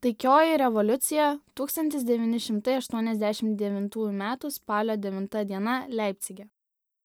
Taikioji revoliucija 1989 m. spalio 9 d. Leipcige.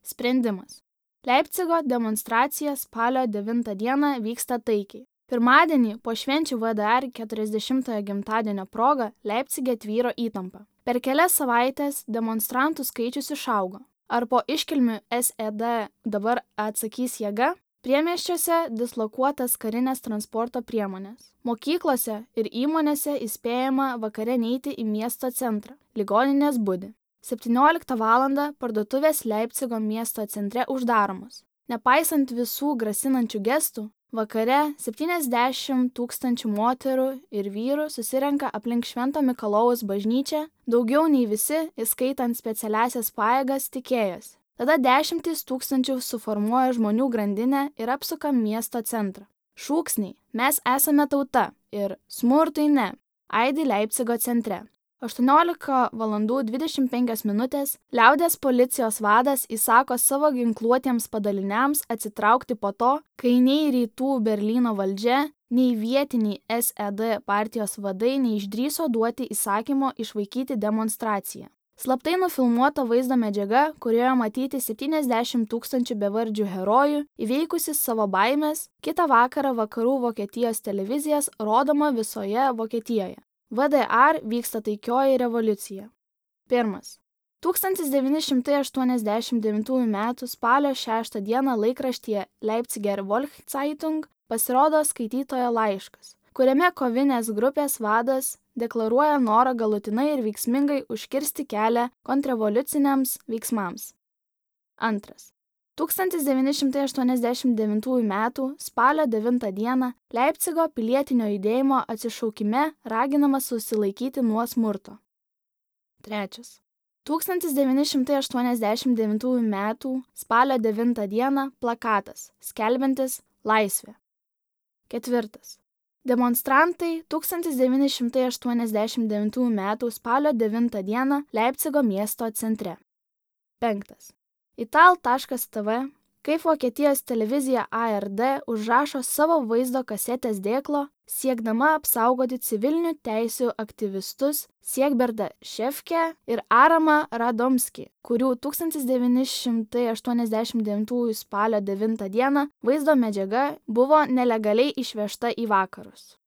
Sprendimas. Leipcigo demonstracija spalio 9 d. vyksta taikiai. Pirmadienį po švenčių VDR 40-ojo gimtadienio proga Leipcige tvyro įtampa. Per kelias savaitės demonstrantų skaičius išaugo. Ar po iškilmių SED dabar atsakys jėga? Priemiesčiuose dislokuotas karinės transporto priemonės. Mokyklose ir įmonėse įspėjama vakare neiti į miesto centrą. Ligoninės budi. 17 val. Parduotuvės Leipcigo miesto centre uždaromos. Nepaisant visų grasinančių gestų, vakare 70 000 moterų ir vyrų susirenka aplink Švento Mikalojaus bažnyčią, daugiau nei visi, įskaitant specialiąsias pajėgas, tikėjosi. Tada 10 000 suformuoja žmonių grandinę ir apsuka miesto centrą. Šūksniai "Mes esame tauta" ir "Smurtui ne" aidi Leipcigo centre. 18:25 liaudies policijos vadas įsako savo ginkluotiems padaliniams atsitraukti po to, kai nei rytų Berlyno valdžia, nei vietiniai SED partijos vadai neišdrįso duoti įsakymo išvaikyti demonstraciją. Slaptai nufilmuota vaizdo medžiaga, kurioje matyti 70 000 bevardžių herojų, įveikusi savo baimės, kitą vakarą vakarų Vokietijos televizijas rodoma visoje Vokietijoje. VDR vyksta taikioji revoliucija. 1. 1989 m. spalio 6 d. laikraštyje Leipziger Volkszeitung pasirodo skaitytojo laiškas, kuriame kovinės grupės vadas deklaruoja norą galutinai ir veiksmingai užkirsti kelią kontrrevoliuciniams veiksmams. 2. 1989 m. spalio 9 d. Leipcigo pilietinio judėjimo atsišaukime raginama susilaikyti nuo smurto. 3. 1989 m. spalio 9 d. plakatas, skelbiantis laisvę. 4. Demonstrantai 1989 m. spalio 9 d. Leipcigo miesto centre. 5. Ital.tv, kaip Vokietijos televizija ARD užrašo savo vaizdo kasetės dėklo, siekdama apsaugoti civilinių teisių aktyvistus Siegberdą Šefkę ir Aramą Radomskį, kurių 1989 spalio 9 d. vaizdo medžiaga buvo nelegaliai išvežta į vakarus.